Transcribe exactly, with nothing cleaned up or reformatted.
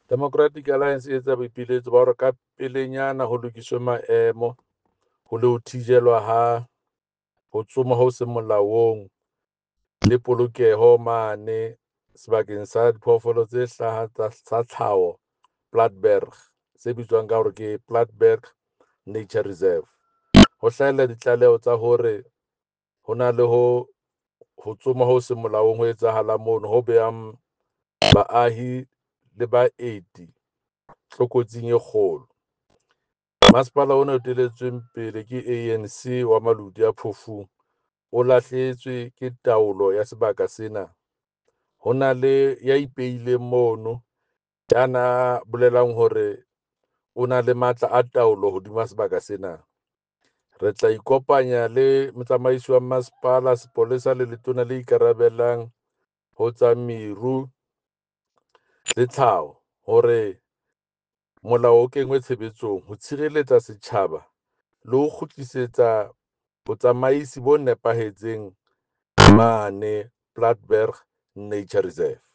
Democratic Alliance e etsa boipiletso ba hore ka pelenyana ho lokiswe maemo ho le ho thijelwa ha ho tsoma ho seng molaong le polokeho mane sebakeng sa diphoofolo tse hlaha tsa tlhaho Platberg, se bitswang ka hore ke Platberg Nature Reserve. Ho hlahella ditlaleho tsa hore ho na le ho ho tsoma ho seng molaong ho etsahalang mono ho behang baahi le baeti tlokotsing e kgolo. Masepala ona o etelletsweng pele ke A N C wa Maluti a Phofung o lahlehetswe ke taolo ya sebaka sena. Ho na le ya ipeileng mono ya na bolelang hore o na le matla a taolo hodima sebaka sena. Re tla ikopanya le motsamaisi wa masepala, sepolesa le letona le ikarabellang ho tsa meru le tlhaho hore molao o kenngwe tshebetsong ho tshireletsa setjhaba le ho kgutlisetsa botsamaisi bo nepahetseng mane Platberg Nature Reserve.